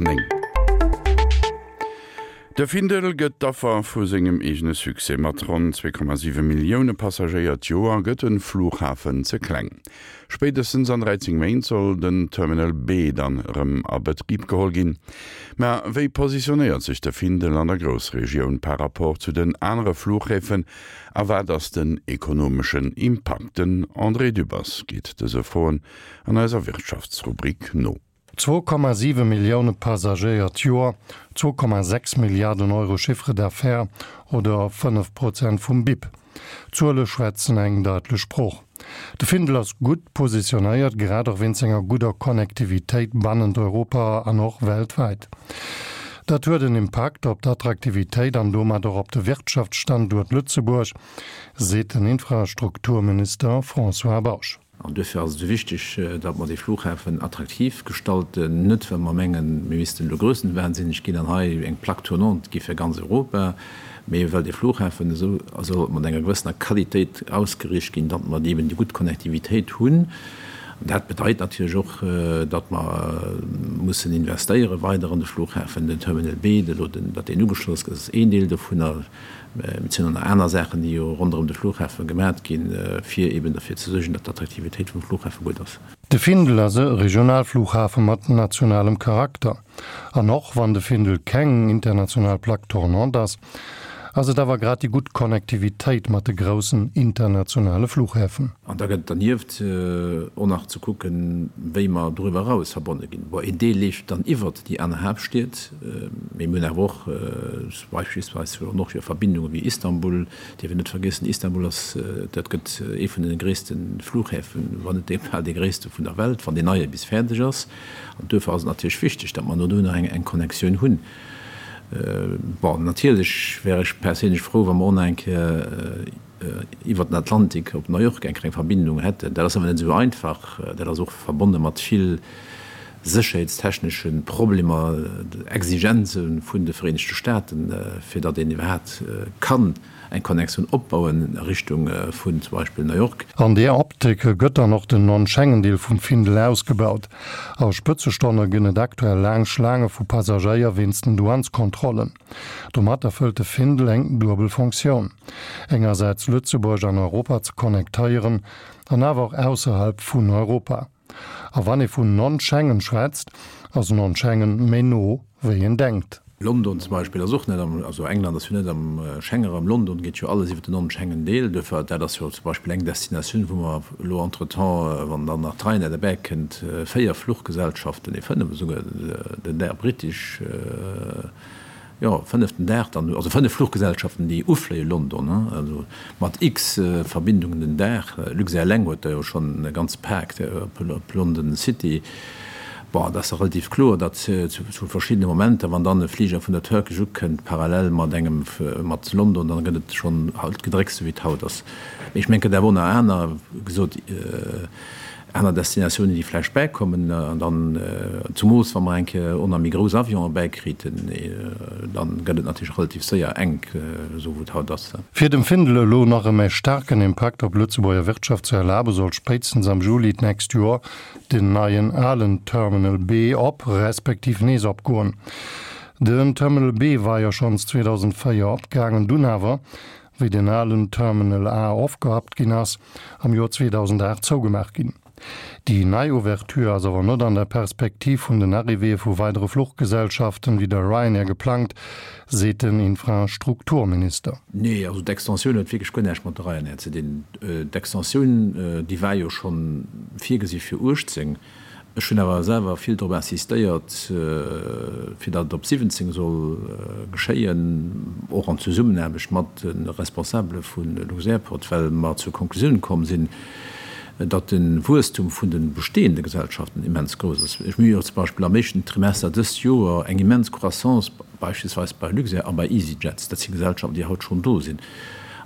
9. De Findel gëtt d'Affer vu sengem eegene Succès. Mat ronn 2,7 Millioune Passagéier d'Joer gëtt de Flughafen ze kleng. Spéitestens an 13 Méint soll den Terminal B dann erëm a Betrib geholl ginn. Mä wéi positionéiert sech de Findel an der Groussregioun par rapport zu den anere Flughäfen a wat ass den ekonomeschen Impakt? Den André Dübbers geet dëse Froen an eiser Wirtschaftsrubrik no. 2,7 Millioune Passagéier d'Joer, 2,6 Milliarden Euro Chiffre d'affaires oder 5 Prozent vum BIP. D'Zuele schwätzen eng daitlech Sprooch. De Findel ass gutt positionéiert, grad och wéinst senger gudder Connectivitéit bannent Europa an och weltwäit. Dat huet en Impakt op d'Attraktivitéit an domat och op de Wirtschaftsstanduert Lëtzebuerg, seet den Infrastrukturminister François Bausch. An duerfir ass et esou wichteg, datt mer dee Flughafen attraktiv gestalten, net well mer mengen, mir missten elo grössenwahnsinneg ginn an hei eng Plaque tournante gi fir ganz Europa, mee well dee Flughafen esou soll mat enger gewëssener Qualitéit ausgeriicht ginn, datt mer eben déi gutt Connectivitéit hunn. An dat bedeit natierlech och, datt mer mussen investéiere weider an de Flughafen. Den Terminal B, elo datt deen ugeschloss gëtt, ass een Deel dovunner. Mee et sinn och nach aner Saachen, déi jo ronderëm de Flughafe gemat ginn, fir eeben derfir ze suergen, datt d'Attraktivitéit vum Flughafe gutt ass. De Findel ass e Regionalflughafe mat nationalem Charakter. An och wann de Findel keng international Plaque tournante ass, ass et awer grad déi gutt Connectivitéit mat de groussen internationale Flughäfen. An da gëtt et dernieft och nach ze kucken, wéi mer doriwwer eraus verbonne ginn. Bon, een Deel leeft dann iwwert déi aner Haaptstied, mee mir hunn awer och Beispillsweis hu och jo Verbindunge wéi Istanbul, dierf een net vergiessen. Istanbul ass, dat gëtt ee vun de gréisste Flughäfen, wann net dee bal dee gréisste vun der Welt, wann deen neie bis fäerdeg ass. An duerfir ass et natierlech wichteg, datt mer no do nach eng Connexioun hunn. Bon, natierlech wär ech perséinlech frou, wa mer och nach eng Kéier iwwer den Atlantik op New York eng kleng Verbindung hätten. Dat ass awer net esou einfach. Dat ass och verbonne mat vill sécherheetstechnesche Problemer, Exigenze vun de Vereenegte Staaten, fir datt een iwwerhaapt kann eng Connexioun opbauen a Richtung vun zum Beispill New York. An där Optik gëtt dann och den Non-Schengen-Deel vum Findel ausgebaut. A Spëtzestonne ginn et aktuell laang Schlaange vu Passagéier wéinst den Douaneskontrollen. Domat erfëllt de Findel eng duebel Fonctioun, engersäits Lëtzebuerg an Europa ze connectéieren an awer och ausserhalb vun Europa. A wann ee vun Non-Schengen schwätzt, ass Non-Schengen méi no wéi een denkt. London zum Beispill ass och net am, also England ass jo net am Schengenraum, London geet jo alles iwwer den Non-Schengen-Deel. Duerfir, dat ass jo zum Beispill eng Destinatioun, wou mer elo entretemps, wann dann nach d'Ryanair derbäi kënnt, 4 Fluchgesellschaften, nee 5 esouguer, den Air British, jo, fënneften Dag dann, also 5 Fluchgesellschaften, déi ufléie London, also mat x Verbindungen den Dag. Luxair eleng huet der jo schonn e ganze Pak op London City. Bon, et ass da relativ kloer, datt zu verschiddene Momenter, wann dann e Fliger vun der Turkish ukënnt, parallel mat engem mat London, dann gëtt et schonn halt Gedrécks, esou wéi et haut ass. Mee ech mengen, et gëtt awer och nach aner, wéi gesot, aner Destinatiounen, déi vläicht bäikommen. An dann, zumools wa mer eng Kéier och nach méi grouss Avionen bäikriten, dann gëtt et natierlech relativ séier enk, esou wou et haut ass. Fir dem Findel elo nach e méi staarken Impakt op d'Lëtzebuerger Wirtschaft ze erlaben, soll spéitstens am Juli d'nächst Joer den neien alen Terminal B op, respektiv nees opgoen. Den Terminal B war jo schonns 2004 opgaangen, dunn awer, wéi den alen Terminal A ofgerappt ginn ass, am Joer 2008 zougemaach ginn. Déi nei Ouverture ass awer net an der Perspektiv vun den Arrivéeë vu weidere Fluchgesellschaften wéi der Ryanair geplangt, seet den Infrastrukturminister. Nee, also d'Extensioun huet wierklech guer näischt mat der Ryanair ze dinn. D'Extensioun, déi war jo scho virgesi fir 18. Ech hunn awer selwer vill drop insistéiert, fir datt et op 17 soll geschéien, och an Zesummenaarbecht mat de Responsabele vu Luxairport, well mer zur Konklusioun komm sinn, datt de Wuesstum vun de bestehende Gesellschaften immens grouss ass. Ech mir hu jo zum Beispill am éischten Trimester dëst Joer eng immens Croissance beispillsweis bei Luxair a bei easyJets, dat si Gesellschaften, déi haut schonn do sinn.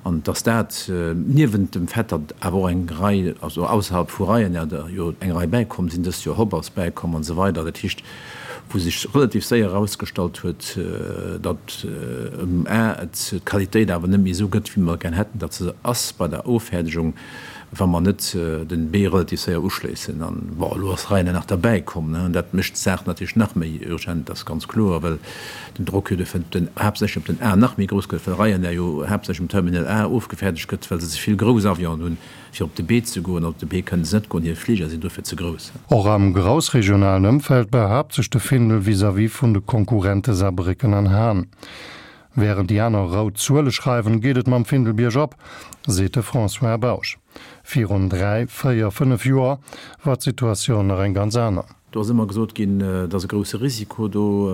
An dass dat, niewent dem Fait, datt awer och eng Rei, also ausserhalb vu Ryanair der jo eng Rei bäikomm sinn, dëst Joer Hop ass bäikomm an esou weider, dat heescht, wou sech relativ séier erausgestallt huet, datt ëm a et d'Qualitéit awer net méi esou gëtt, wéi mer gär hätten, datt se ass bei der Offäerdegung. Wa mer net den B relativ séier uschléissen. An, bon, elo ass Ryanair nach derbäi komm, ne, an dat mécht d'Saach natierlech nach méi urgent, dat ass ganz kloer, well den Drock jo duerfir op den, haaptsächlech op den A nach méi grouss gëtt, well Ryanair jo haaptsächlech um Terminal A ofgefäerdegt gëtt, well se ze vill grouss Avionen hunn, fir op de B ze goen. An op de B kënnen se net goen, hir Fliger sinn dofir ze grouss. Och am groussregionalen Ëmfeld behaapt sech de Findel vis-à-vis vun de Konkurrente Saarbrécken an Hahn. Wärend déi aner rout Zuele schreiwen, geet et mam Findel biergop, seet de François Bausch. Virun 3, 4, 5 Joer war d'Situatioun nach eng ganz aner. Do ass ëmmer gesot ginn, et ass e grousse Risiko do.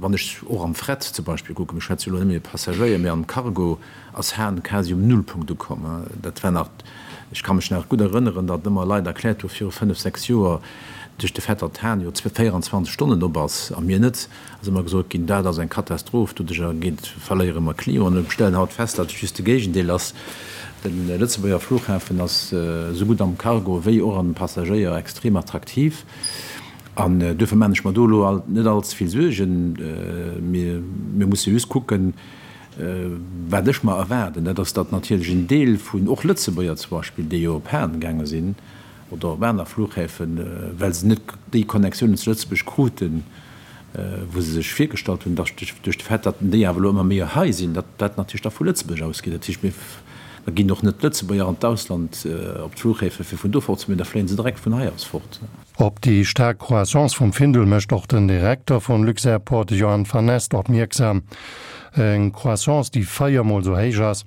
Wann ech och am Fret zum Beispill kucken, mir schwätze jo elo net méi iwwer Passagéier, mee am Cargo ass Hahn quasi um Nullpunkt ukomm. Dat war nach, ech ka mech nach gutt erënneren, datt ëmmer Leit erkläert hu viru 5, 6 Joer, duerch de Fait, datt Hahn jo 24 Stonnen op ass a mir net, ass ëmmer gesot ginn, dat ass eng Katastroph, doduercher geet, verléiere mer Clienten. Mir stellen haut fest, datt et just de Géigendeel ass. De Lëtzebuerger Flughafen ass esou gutt am Cargo wéi och an Passagéier extrem attraktiv. An duerfir maan ech mer do elo net all ze vill Suergen. Mir musse just kucken, wat ech mer erwaarden, dat ass, datt natierlech en Deel vun och Lëtzebuerger zum Beispill, déi jo op Hahn gaange sinn oder op aner Flughäfen, well se net déi Connectiounen zu Lëtzebuerg kruten, wou se sech virgestallt hunn, datt duerch de Fait, datt déi awer elo ëmmer méi hei sinn, datt dat natierlech da vu Lëtzebuerg ausgeet. Dat heescht, mir, da ginn och net d'Lëtzebuerger an d'Ausland op d'Flughäfe fir vun do fort ze goen, da fléien se direkt vun hei aus fort. Op déi staark Croissance vum Findel mécht och den Direkter vun Luxairport, de Johan Vanneste, opmierksam. Eng Croissance, déi 4 mol esou héich ass,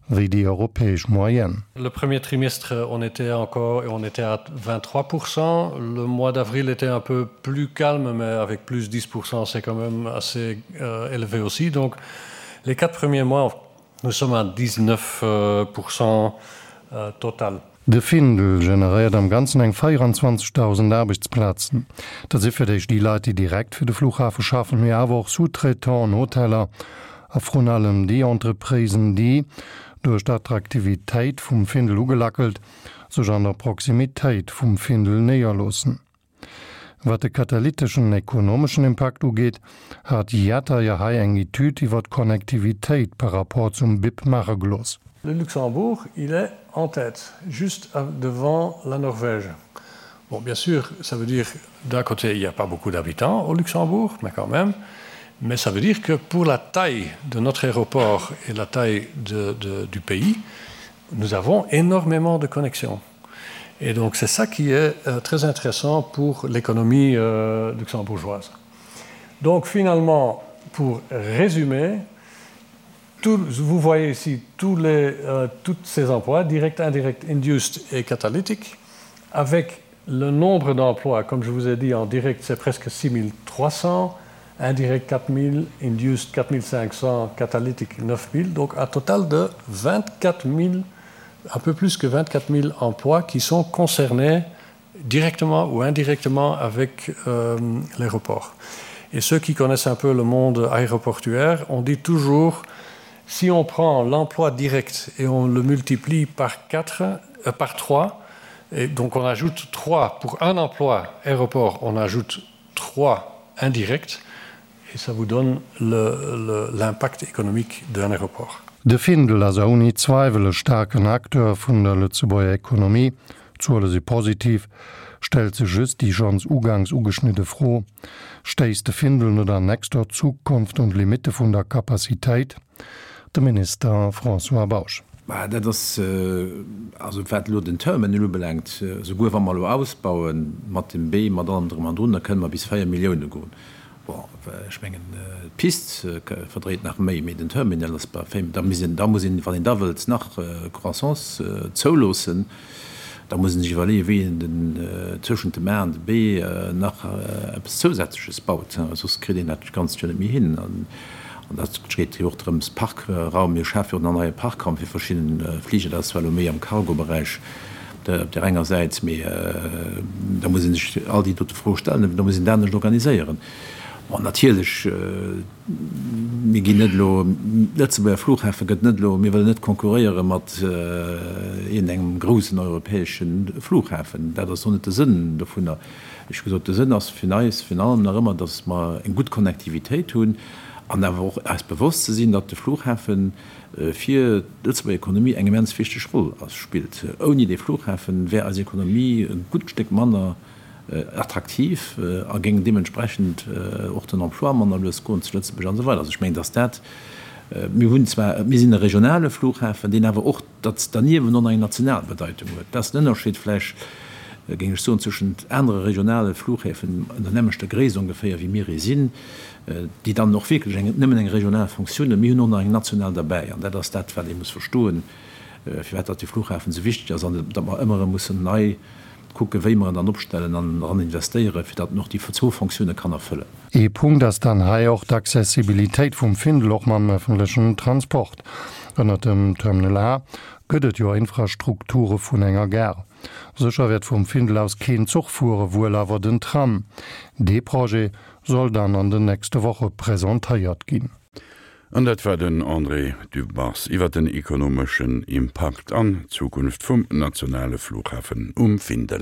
wéi déi europäesch Moyenne. Le premier trimestre on était encore on était à 23%. Le mois d'avril était un peu plus calme, mais avec plus 10% c'est quand même assez euh, élevé aussi. Donc les quatre premiers mois nous sommes à 19% euh, euh, total. De Findel generéiert am Ganzen eng 24.000 Aarbechtsplazen. Dat si fir d'éischt déi Leit, déi direkt fir de Flughafe schaffen, mee awer och Sous-traitanten, Hoteller a vrun allem déi Entreprisen, déi, duerch d'Attraktivitéit vum Findel ugelackelt, sech an der Proximitéit vum Findel néierloossen. Wat de katalyteschen ekonomeschen Impakt ugeet, hat d'IATA jo hei eng Etüd iwwer d'Connectivitéit par rapport zum BIP maache gelooss. Le Luxembourg, il est en tête, juste devant la Norvège. Bon, bien sûr, ça veut dire d'un côté, il n'y a pas beaucoup d'habitants au Luxembourg, mais quand même. Mais ça veut dire que pour la taille de notre aéroport et la taille de, de, du pays, nous avons énormément de connexions. Et donc c'est ça qui est euh, très intéressant pour l'économie euh, luxembourgeoise. Donc finalement, pour résumer, tout, vous voyez ici tous les, euh, toutes ces emplois, direct, indirect, induced et catalytique, avec le nombre d'emplois, comme je vous ai dit en direct, c'est presque 6300, indirect 4000, induced 4500, catalytique 9000, donc un total de 24 000 un peu plus que 24 000 emplois qui sont concernés directement ou indirectement avec euh, l'aéroport. Et ceux qui connaissent un peu le monde aéroportuaire, on dit toujours si on prend l'emploi direct et on le multiplie par 4 euh, par 3 et donc on ajoute 3 pour un emploi aéroport, on ajoute 3 indirects et ça vous donne l'impact économique d'un aéroport. De Findel ass ouni Zweiwel e staarken Acteur vun der Lëtzebuerger Ekonomie. D'Zuele si positiv. Stellt sech just déi schonns ugangs ugeschnidde Fro, Stéisst de Findel net an nächster Zukunft un d'Limitte vun der Capacitéit? De Minister François Bausch. Bah, dat ass, also wat elo den Terminal ubelaangt, souguer wa mer elo ausbaue mat dem B, mat allem drëm an drun, da kënne mer bis 4 Millioune goen. Bon, ech mengen, d'Pist verdréit nach méi, mee den Terminal ass bei 5. Da muss een, da muss een, wann een da wëllt nach Croissance zouloossen, da muss een sech iwwerleeën, wéi een den, tëschent dem A an dem B nach eppes Zousätzleches baut, soss kritt een dat Ganzt jo net méi hin. An dat geet jo och drëms, Parkraum, mir schafe jo och nach neie Parkraum fir verschidden Fliger, dat ass zwar elo méi am Cargoberäich, op där enger Säit, mee da muss ee sech all déi dote Froe stellen, da muss een dat anescht organiséieren. Bon, natierlech, mir ginn net elo, Lëtzebuerger Flughafe gëtt net elo, mir wëllen net konkurréiere mat iergendengem groussen europäesche Flughafen. Dat ass och net de Sënn dovunner. Ech hu gesot, de Sënn ass fir eis virun allem nach ëmmer, datt mer eng gutt Connectivitéit hunn. An awer och eis bewosst ze sinn, datt de Flughafe fir d'Lëtzebuerger Ekonomie eng immens wichteg Roll spillt. Ouni dee Flughafe wär eis Ekonomie e gutt Stéck manner attraktiv a géing deementsprechend och den Emploi manner lues goen zu Lëtzebuerg an esou weider. Also ech mengen, datt dat, mir hunn zwar, mir sinn e regionale Flughafen, deen awer och datt derniewent och nach eng national Bedeitung huet. Dat ass den Ënnerscheed vläicht, géing ech soen, zwëschent anere regionale Flughäfen an der nämmlechter Gréisst ongeféier, wéi mir ee sinn, déi dann och wierklech eng, nëmmen eng regional Fonctioun hunn. Mir hunn och nach eng national derbäi. An dat ass dat, wat ee muss verstoen, firwat datt dee Flughafen esou wichteg ass an datt mer ëmmer erëm mussen nei kucken, wéi mer en dann opstellen an eran investéieren, fir datt en och déi zwou Fonctioune kann erfëllen. Ee Punkt ass dann hei och d'Accessibilitéit vum Findel, och mam ëffentlechen Transport. Ënnert dem Terminal A gëtt et jo Infrastrukture vun enger Gare. Sécher wäert vum Findel aus keen Zuch fuere, wuel awer den Tram. Dee Projet soll dann an den nächste Woche presentéiert ginn. An dat war den André Dübbers iwwer den ekonomeschen Impakt an d'Zukunft vum nationale Flughafen um Findel.